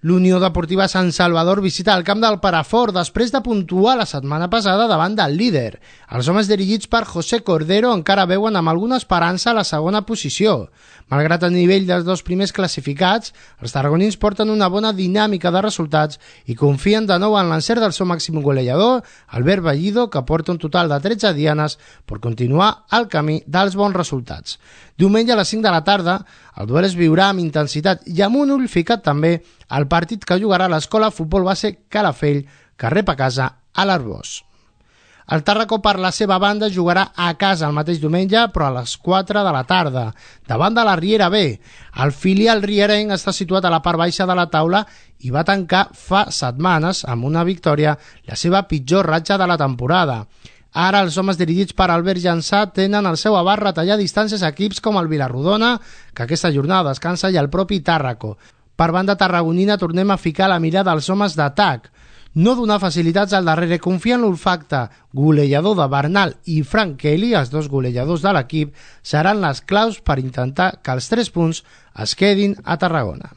L'Unió Deportiva Sant Salvador visita el camp del Perafort després de puntuar la setmana passada davant del líder. Els homes dirigits per José Cordero encara veuen amb alguna esperança a la segona posició. Malgrat el nivell dels dos primers classificats, els tarragonins porten una bona dinàmica de resultats i confien de nou en l'encert del seu màxim golejador, Albert Bellido, que porta un total de 13 dianes per continuar el camí dels bons resultats. Diumenge a les 5 de la tarda, el duel es viurà amb intensitat i amb un ull ficat també al partit que jugarà l'Escola Futbol Base Calafell, que rep a casa a l'Arbós. El Tàrraco, per la seva banda, jugarà a casa el mateix diumenge, però a les 4 de la tarda, davant de la Riera B. El filial rierenc està situat a la part baixa de la taula i va tancar fa setmanes amb una victòria la seva pitjor ratxa de la temporada. Ara els homes dirigits per Albert Llançà tenen el seu abast retallar distàncies a equips com el Vilarrodona, que aquesta jornada descansa, i el propi Tàrraco. Per banda tarragonina tornem a ficar la mirada als homes d'atac. No donar facilitats al darrere, confiar en l'olfacte golejador de Bernal i Frank Kelly, els dos golejadors de l'equip, seran les claus per intentar que els 3 punts es quedin a Tarragona.